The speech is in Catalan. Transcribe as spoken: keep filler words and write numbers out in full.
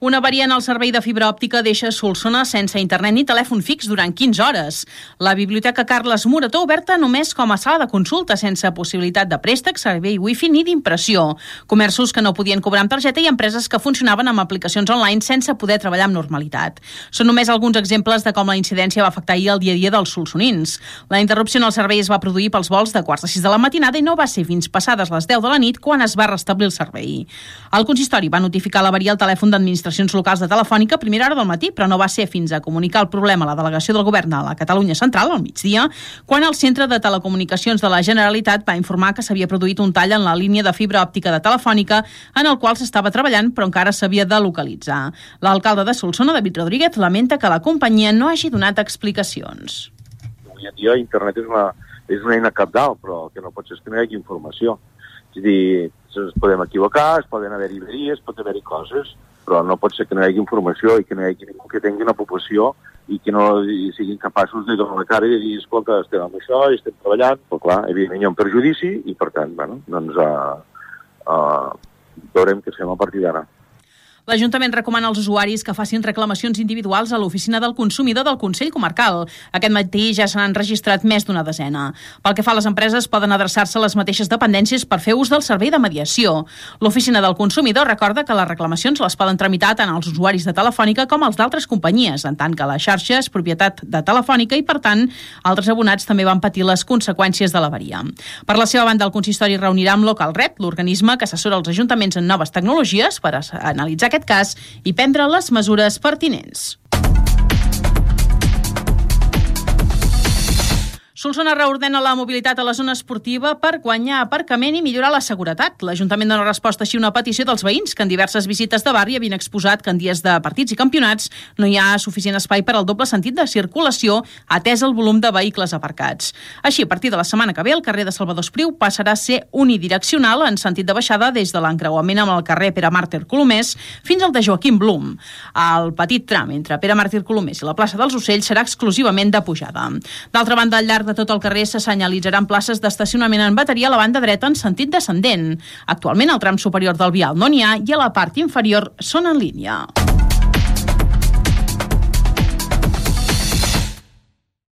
Una avaria en el servei de fibra òptica deixa Solsona sense internet ni telèfon fix durant quinze hores. La Biblioteca Carles Morató oberta només com a sala de consulta, sense possibilitat de préstec, servei wifi ni d'impressió. Comerços que no podien cobrar amb targeta i empreses que funcionaven amb aplicacions online sense poder treballar amb normalitat. Són només alguns exemples de com la incidència va afectar ahir el dia a dia dels solsonins. La interrupció en el servei es va produir pels vols de quarts de sis de la matinada i no va ser fins passades les deu de la nit quan es va restablir el servei. El consistori va notificar l'avaria al telèfon d'administracions locals de Telefònica a primera hora del matí, però no va ser fins a comunicar el problema a la delegació del govern a la Catalunya Central, al migdia, quan el Centre de Telecomunicacions de la Generalitat va informar que s'havia produït un tall en la línia de fibra òptica de Telefònica en el qual s'estava treballant, però encara s'havia de localitzar. L'alcalde de Solsona, David Rodríguez, lamenta que la companyia no hagi donat explicacions. Avui en dia internet és una, és una eina cabdal, però el que no pot ser és que no hi hagi informació. És a dir, ens podem equivocar, es poden haver-hi veries, pot haver-hi coses, però no pot ser que no hi hagi informació i que no hi hagi ningú que tingui una població i que no siguin capaços de donar la cara i de dir, escolta, estem amb això i estem treballant. Però clar, evidentment hi ha un perjudici i, per tant, bueno, doncs uh, uh, veurem què fem a partir d'ara. L'Ajuntament recomana als usuaris que facin reclamacions individuals a l'Oficina del Consumidor del Consell Comarcal. Aquest matí ja se n'han registrat més d'una desena. Pel que fa a les empreses, poden adreçar-se a les mateixes dependències per fer ús del servei de mediació. L'Oficina del Consumidor recorda que les reclamacions les poden tramitar tant els usuaris de Telefònica com els d'altres companyies, en tant que la xarxa és propietat de Telefònica i, per tant, altres abonats també van patir les conseqüències de l'avaria. Per la seva banda, el consistori reunirà amb LocalRep, l'organisme que assessora els ajuntaments en noves tecnologies, per analitzar aquest cas i prendre les mesures pertinents. Solsona reordena la mobilitat a la zona esportiva per guanyar aparcament i millorar la seguretat. L'Ajuntament dona resposta així a una petició dels veïns que en diverses visites de barri havien exposat que en dies de partits i campionats no hi ha suficient espai per al doble sentit de circulació atès el volum de vehicles aparcats. Així, a partir de la setmana que ve, el carrer de Salvador Espriu passarà a ser unidireccional en sentit de baixada des de l'encreuament amb el carrer Pere Màrtir Colomers fins al de Joaquim Blum. El petit tram entre Pere Màrtir Colomers i la plaça dels Ocells serà exclusivament de pujada. D'altra banda, al llarg de tot el carrer se senyalitzaran places d'estacionament en bateria a la banda dreta en sentit descendent. Actualment, al tram superior del vial no n'hi ha i a la part inferior són en línia.